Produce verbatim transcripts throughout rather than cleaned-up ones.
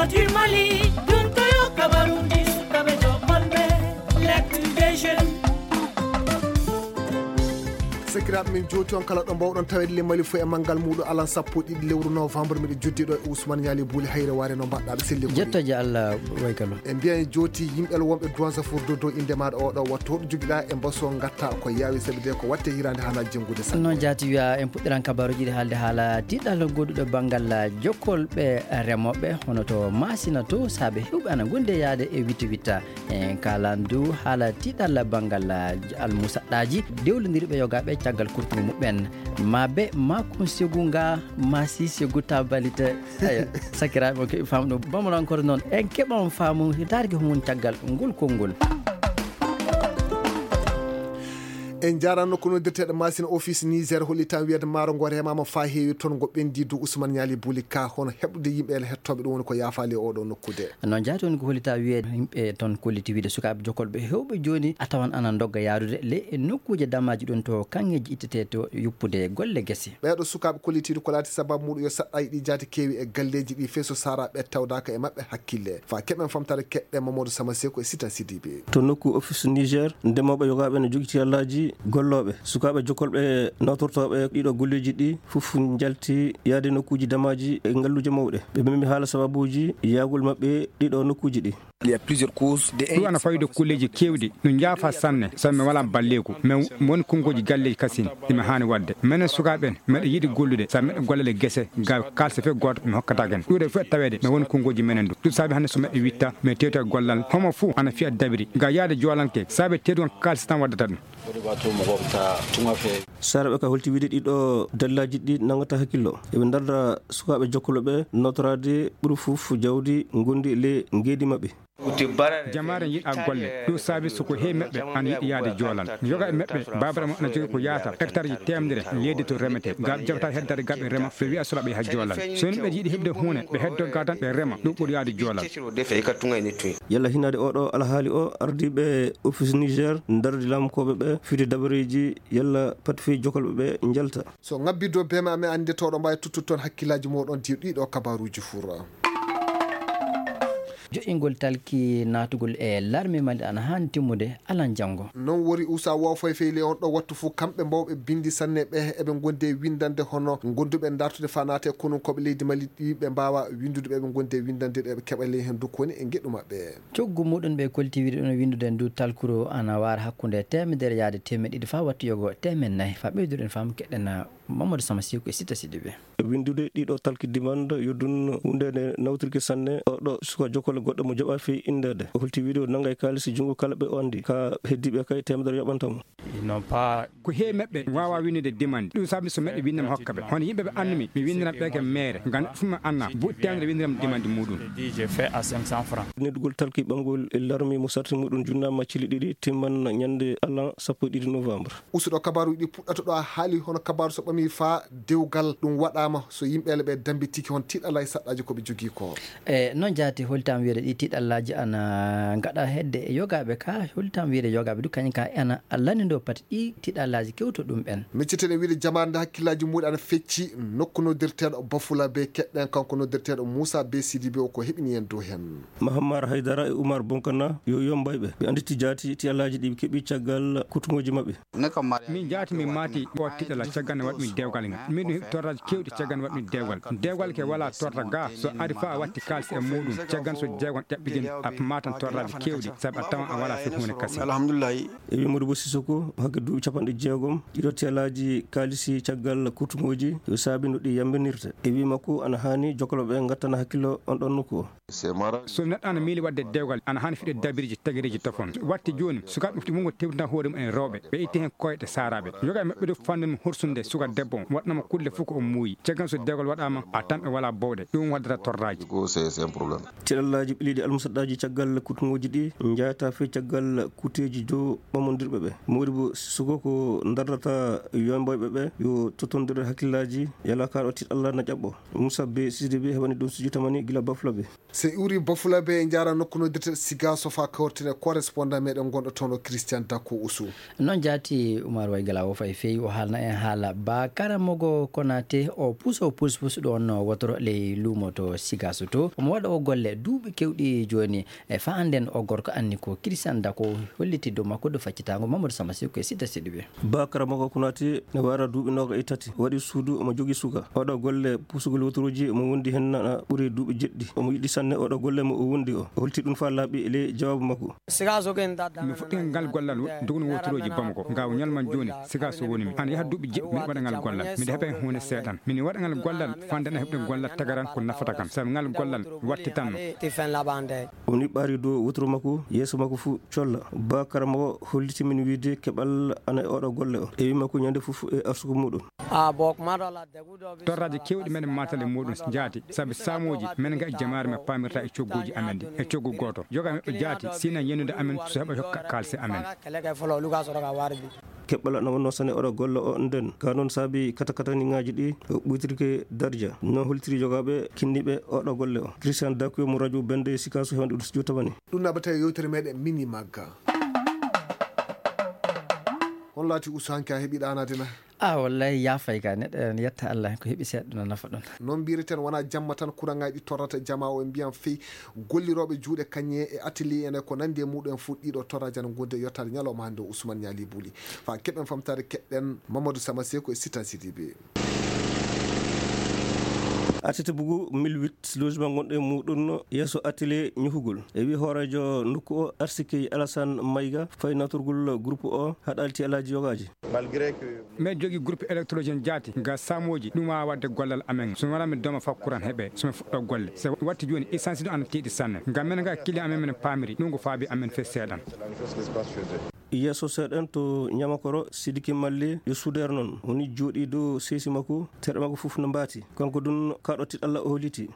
Tir Mali, duntoyo kabarundi sukabe jokolbe, l'actu des jeunes. Sakiraaɓe men, jooti on kala ɗo mbawɗon taweede le Mali fof e manngal muuɗum alan sappo e ɗiɗi lewru novembre, miɗo joddi ɗo e Ousmane Ñaali Buuli Hayre Waare, no mbaɗɗaa ɗo selli ko. Jettoje Allah, way kala. E mbiyen jooti yimɓe wonɓe Douanzafour Dodo, inde maaɗa oɗo wattu, hoɗo jogiɗaa e mbaso ngatta ko yaawi sabi de ko watte hirande hana jengude sanne. Noon jaati wiya en puɗɗiran kabaruji ɗi haalde haala tiɗal goɗɗuɗo banngal jokkolɓe remooɓe hono to Masina to saabe hewɓe ana gondi e yaade e witta witta. En kaalan du haala tiɗal banngal almusaɗɗaaji dewlondirɓe yogaaɓe caggal kurtungu muɓɓen. Ma be ma kun segu nga ma si segu tabalite. Eyo, sakiraaɓe on keɓi faamu ɗum. Bamarankore noon en keɓan faamu darge humum caggal ngol konngol. En njaarano ko noddirteeɗo Masina Office Niger holli tan wiyata maaro ngo remaama faa heewi toon ngo ɓendi du Ousmane Ñaali Buli Ka hono heɓude yimɓe e hettooɓe ɗum woni ko yaafaali e oɗo nokkude. Noon jaati woni ko holli tan wiyata yimɓe toon kolliti wiide sukaaɓe jokkolɓe hewɓe jooni a tawan ana ndogga yaarude le e nokkuuje damaaji ɗum to kaŋŋeeji ittetee to yuppude golle gese. Ɓeeɗo sukaaɓe kollitiiɗo ko laati sababu muɗum yo saɗɗaaji ɗi jaati keewi e galleeji ɗi fey so saara ɓe tawdaaka e maɓɓe hakkille. Faa keɓen famtaade keɗɗe Mamadou Sama Seko e Sita Sidibe. To nokku Office Niger, ndemooɓe yogaaɓe no jogiti allaaji gollooɓe. Sukaaɓe jokkolɓe nawtortooɓe ɗiɗo golleeji ɗi fof njalti yaade nokkuuji damaaji e ngalluuje mawɗe. Ɓe memi haala sababuuji yaagol maɓɓe ɗiɗo nokkuuji ɗi. Il y a plusieurs causes. Ɗum ana fayde kulleeji keewɗi. No njaafa sanne, sabu mi walaa balleeku. Mi woni konngooji galleeji kasin, ɗi mi haani waɗde. Menen sukaaɓe en, meɗen yiɗi gollude, sabu meɗen gollale gese, ga kaalse fe gooto mi hokkata ken. Ɗuuɗe fof e taweede, mi woni konngooji menen du. Ɗum saabi hannde so meɗen witta, mi tewta gollal. Homo fof ana fiya dabiri. Ga yaade joolanke, saabe tewtugal kaalse tan waddata ɗum. Saraɓe ka holti wiide ɗiɗo dallaaji ɗi nangata hakkillo. Eɓe ndarda sukaaɓe jokkolo ɓe notoraade ɓuri fof jawdi ngondi le ngeedi maɓɓe. Jamaare yiɗa golle. Ɗum saabi so ko heewi maɓɓe ana yiɗi yaade joolal. Yoga e maɓɓe, baabara mo ana jogii ko yaata hectare ji teemedere leydi to remetee. Ga ɓe jaɓata heddade ga ɓe rema, ɓe wiya sula ɓe yaha joolal. So ni ɓe yiɗi heɓde huune, ɓe heddo ga tan ɓe rema. Ɗum ɓuri yaade joolal. Yalla hinaade oɗo alhaali o, ardiiɓe Office Niger ndardi lamkooɓe ɓe fiti dabareeji yalla pat fii jokolɓe ɓe njalta. So ŋabbi dow beema amen annditooɗo mbaawi tuttude toon hakkillaaji mooɗon diw ɗiɗo kabaruuji fura. Joƴƴingol talki naatugol e larme Mali ana haani timmude alan janngo. Noon wori usa wo foy fey le on ɗo wattu fof kamɓe mbawɓe binndi sanne ɓe eɓe ngondi e winndande hono gonduɓe dartude faa naata e konunkooɓe leydi Mali ɗi ɓe mbaawa winndude ɓe eɓe ngondi e winndande ɗe ɓe keɓa ley heen dukko woni e ngeɗu maɓɓe. Coggu muɗum ɓe kolti wiide ɗum winndude ndu talkuru ana waara hakkunde teemedere yaade teemeɗɗe ɗiɗi faa wattu yogo teemeɗɗe nayi faa ɓeyduɗen faamu keɗɗen Mamadou Sama Siko e Sita Sidibe. Winndude ɗiɗo talki dimande yo ɗum huunde nde nawtirki sanne. Oɗo suka jokkole goɗɗo mo jaɓa fii inndeede. O holti wiide o nanga e kaalisi junngo kala ɓe o anndi. Ka heddiiɓe kay teemedere yoɓanta mo. Ko heewi maɓɓe waawa winnude dimande. Ɗum saabi so meɗe winnde mi hokka ɓe. Hono yimɓe ɓe annumi, mi winniran ɓe ke meere. Ngam fuɗɗi mi anna, buuɗi teemedere winndiran mi dimande muɗum. Neɗɗugol talki ɓanngol e larmi mo sarti muɗum junnaama cili ɗiɗi timman ñannde alan sappo e ɗiɗi novembre. Usuɗo kabaaruuji ɗi puɗɗata ɗo a haali hono kabaaru so ɓami faa dewgal ɗum waɗaama so yimɓe ele ɓe dambi tigi hon tiiɗalay saɗɗaaji ko ɓe jogii ko. E noon jaati holtam wiyeede ɗi tiiɗallaaji ana ngaɗa hedde e yogaaɓe ka holtam wiyeede yogaaɓe du kañum ka ana lanndindoo pati ɗi tiiɗallaaji kewto ɗum ɓen. Micciten e wiide jamaare nde hakkillaaji muɗi ana fecci nokku noddirteeɗo Bafula be keɗɗen kanko noddirteeɗo Muusa be Sidibe o ko heɓini en dow heen. Mahammar Haydara e Umar Bonkana yo yombayɓe ɓe annditi jaati tiiɗallaaji ɗi ɓe keɓi caggal kutungooji maɓɓe. Min jaati min maati o tiɗala caggal nde waɗmi dewgal ngal. Min ɗum heɓi torraji kewɗi caggal nde waɗmi dewgal. Dewgal ke wala torra ga so ari fa a watti kaalis e muɗum caggal so jeegon ƴaɓɓigin a matan torraji kewɗi sabu a tawan a wala fi hunde kasi. Alhamdulillahi. E wi Modibo Sissoko hakke duuɓi capanɗe jeegom ɗiɗo telaji kaalisi caggal kutungoji yo saabi no ɗi yambinirte. E wi makko ana hani jokoloɓe gattana hakkillo on ɗon nokku o. So neɗɗo ana miili waɗde dewgal ana hani fiɗe dabiriji tagireji tofon watti joni sukaɓe mofti wongo tewtina hoore mum en rewɓe ɓe itti hen koyɗe saraɓe yoga e maɓɓe ɗo fannu ɗum horsude suka debbo on waɗnama kulle fof ko o muuyi caggal so dewgal waɗama a tan ɓe wala bowɗe ɗum waddata torraji. Tiɗallaji ɓiliɗi almusaɗɗaji caggal kutungoji ɗi jayata fe caggal kuteji dow ɓamodirɓe ɓe modi bo suko ko dardata yomboyɓe ɓe yo totondir hakkillaji yala kaɗo tiɗalla na ƴaɓɓo. Moussa be sidi be heɓani ɗum sujutamani gila bafla be. So iwri Bafulabe, en njaara nokku noddirte Siga Sofa kawrtine correspondant meɗen gonɗo toon o Christian Dako Usu. Noon jaati Umar Waygala o fay feewi o haalna en haala ba karamogo Konate o puso puspus ɗoon wotoro ley luumo to Siga Soto. Omo waɗa o golle duuɓi kewɗi jooni. E fa annden o gorko anni ko Christian Dako holliti dow makko ɗo faccitaango Mamadou Sama Seko e Sita Sidibe. Ba karamogo Konate ne wara duuɓi nooga e tati. Waɗi suudu omo jogii suka. Oɗo golle pusugol wotorooji omo wondi heen na ɓuri duuɓi jeɗɗi. Omo yiɗi sanne oɗo golle mo o wondi o. O holti ɗum fa laaɓi e ley jawaabu makko. Mi fuɗɗi ngal gollal doguno wotorooji Bamako. Ngaw ñalman jooni, siga so woni mi. Ana yaha duuɓi jeɗɗi, miɗo waɗa ngal gollal. Miɗo heɓa heen huunde seeɗan. Miɗo waɗa ngal gollal, fande na heɓde gollal tagaran ko nafata kam. Sabu ngal gollal wattitanno. O niɓɓaari dow wotoro makko, yeeso makko fuu colla. Ba karamogo holliti min wiide keɓal ana e oɗo golle o. E wi makko ñande fof e arsugo muɗum. Torraaji keewɗi meɗen maatale muɗum jaati, sabu saamooji men nga e jamaare men paamirta e cogguuji amen ɗi, e coggu gooto. Yoga men ɓe jaati, sina yenude amen, so heɓa hokka kaalse amen. Keɓɓala na wonno sane oɗo golle o nden. Ka noon saabi katakataniŋaaji ɗi, o ɓuytirke darja. No holtiri jogaaɓe kinniiɓe oɗo golle o. Christian Dakuyo mo radio Bende Sikaso hewande ɗum studio tamani. Ɗum naɓata e yewtere meɗen mini magga. On laati Usu hanke a heɓi ɗaanaade na? Ah, wallay yaafay ka neɗɗo en yetta Allah ko heɓi seeɗa no nafa ɗum. Noon mbireten wona jamma tan kuraŋaaji ɗi torrata jama o e mbiyan fey gollirooɓe juuɗe kañe e atelier en e ko nandi e muɗum en fof ɗiɗo torraaji ana ngondi e yottaade ñalawma hannde o Ousmane Ñaali Buli. Fa keɓen famtaade keɗɗen Mamadou Sama Seko e Sita Sidibe. Artiste bugu mille huit logement gonɗo e muɗum yeeso atelier ñuhugol. E wi hooreejo nokku o Arsikey Alassane Mayga fay natorgol groupe o haɗalti alaaji yogaaji. Malgré que miɗo jogii groupe électrogène jaati, nga saamooji, ɗum waawa waɗde gollal amen. So mi wonaa mi dooma fakkuran heɓe, so mi fuɗɗo golle. So watti jooni, essence ɗo ana tiiɗi sanne. Ngam men nga client amen, men paamiri, ɗum ko faabi amen fe seeɗan. Yeeso seeɗan to Ñamakoro, Sidiki Malli, yo suudeer noon. Woni jooɗii dow seesi makko, terɗe makko fof no mbaati. Kanko ɗum kaɗo tiɗalla o holiti.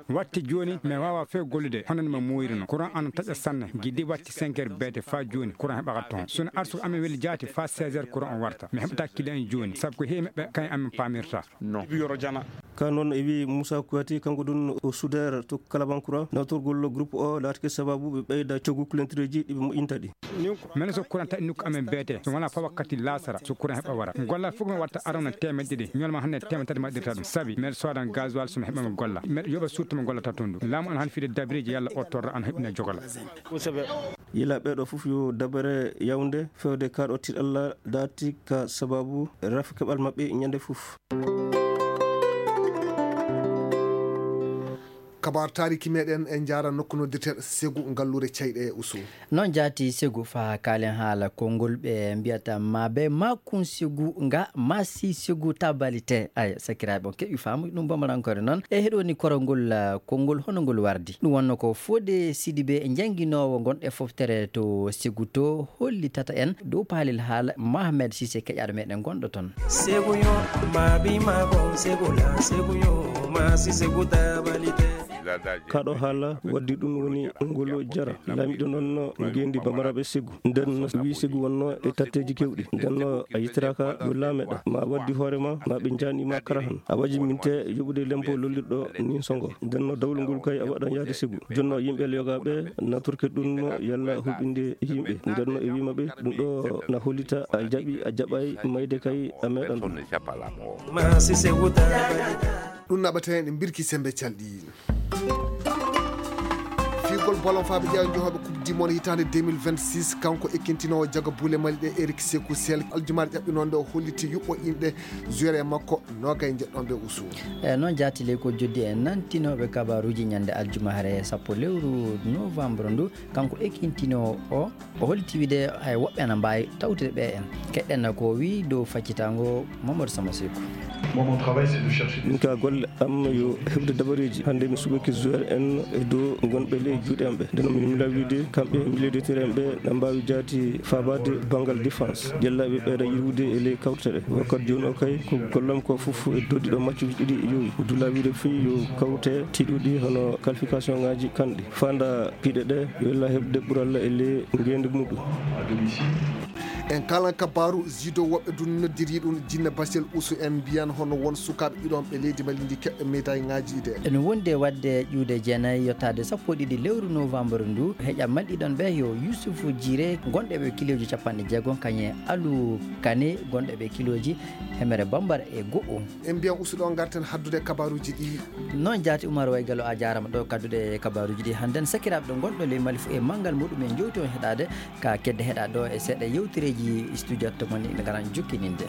Watti jooni, mi waawa few gollude, hono no mi muuyruno. Courant ana taƴa sanne, giddi watti cinq heures beete faa jooni, courant heɓaka toon. Sona arsuko amen weli jaati, faa seize heures courant o warta. Mi heɓata client en jooni, sabu ko heewi maɓɓe, kañum amen paamirta. Ka noon e wi Moussa Kouyaté, kanko ɗum o suudeer to Kalabankura, nawtorgol groupe o laatike sababu ɓe ɓeyda coggu kulentereeji ɗi ɓe moƴƴinta ɗi. Menen so courant taƴi nokku amen beete, so wonaa fa wakkati laasara, so courant heɓa wara. Gollal fof ko mi watta arana teemedde ɗiɗi, ñolma hannde teemedde tati mi waɗirta ɗum. Sabi, mbeɗa soodan gasoil so mi heɓa mi golla. Mbeɗa yoɓa surtout mi gollata toon ɗum. Laamu ana han fide dabreeji yalla o torra ana heɓina jogala. Yila ɓeɗo fof yo dabere yawnde fewde kaɗo tiɗalla daati ka sababu rafi keɓal maɓɓe ñande fof. Kabaar taariki meɗen e njaara nokku noddirteeɗo Segu ngalluure cayɗe e Usu. Noon jaati Segu fa kaalen haala konngol ɓe mbiyata maabe maakun Segu nga maasi Segu tabalite. Ay, sakiraaɓe on keɓi faamu ɗum bamarankoore noon. E heɗo woni korongol, ah, konngol hono ngol wardi. Ɗum wonno ko Fode Sidibe jannginoowo ngonɗe foftere to Segu to hollitata en dow paalel haala Mohamed Sise keƴaaɗo meɗen gonɗo toon. Segu yo maabi maako Segu la Segu yo maasi Segu tabalite. Kaɗo haala waddi ɗum woni ngol jara. Laamiɗo noon no ngeendi bamaraɓe Segu. Nden no wii Segu wonno e tatteeji kewɗi. Nden no a yitiraaka yo laameɗa. Ma waddi hoore ma, ma ɓe njaani ma kara han. A waji minte yoɓude lempo lollirɗo nin songo. Nden no dawlungol kay a waɗan yaade Segu. Jonno yimɓe yogaaɓe natorke ɗum no yalla huɓinde yimɓe. Nden no e wii maɓɓe ɗum ɗo na hollita a jaɓi a jaɓay mayde kay a meeɗan ɗum. Maasi Segu tabalite. Ɗum naɓata heen e mbirki sembe calɗi. Fiigol bolon faaɓe ƴeewa njohooɓe Coupe du Monde hitaande deux mille vingt-six, kanko ekkintinoowo jaga buule Mali ɗe Eric Sekou Sel, aljumaare ƴaɓɓinoonde o holliti yuɓɓo inɗe joueur e makko noogay njeɗɗon ɓe Usu. E noon jaati ley ko joddi e nantinooɓe kabaruuji ñande aljumaare sappo lewru novembre ndu, kanko ekkintinoowo o O holliti wiide hay woɓɓe ana mbaawi tawtude ɓe en. Keɗɗen ko o wiyi dow faccitaango Mamadou Sama Seku. Moi, mon travail, c'est de chercher des... Min ka golle am yo heɓde dabareeji. Hannde mi suɓike joueur en e dow ngonɓe ley juuɗe am ɓe. Nden mi mila wiide kamɓe milieu de terrain ɓe na mbaawi jaati faabaade banngal défense. Jellaaɓe ɓeyda yirwude e ley kawte ɗe. Wakkati jooni o kay ko gollam ko fof e dow ɗiɗo matchuuji ɗiɗi yowi. Dula wiide fii yo kawte tiiɗuɗi hono qualification ngaaji kanɗi. Fanda piɗe ɗe, yo Allah heɓde ɓural e ley ngeenndi muɗum. En kala kabaaru, Zido woɓɓe dun noddiri ɗum jinne Basel Usu. En mbiyan hono won sukaaɓe ɗiɗon ɓe leydi Mali ndi keɓɓe médaille ŋaaji ɗe. Ene wondi e waɗde ƴuude jeenayi yottaade sappo e ɗiɗi lewru novembre ndu. Heƴa malɗiɗon ɓe yo Yusufu Jire gonɗo ɓe kilooji capanɗe jeegom, kañe Alu Kane gonɗo ɓe kilooji hemere bambara e go'o. En mbiyan Usu ɗo ngarten haddude kabaaruji ɗi. Noon jaati Umar Waygalo, a jaarama ɗo kaddude kabaaruji ɗi hannden. Sakiraaɓe ɗo ngonɗo ley Mali fof e manngal muɗum en jowti on heɗaade ka kedde heɗa ɗo e seeɗa yewtereeji studio to mon ina ngaran jokkininde.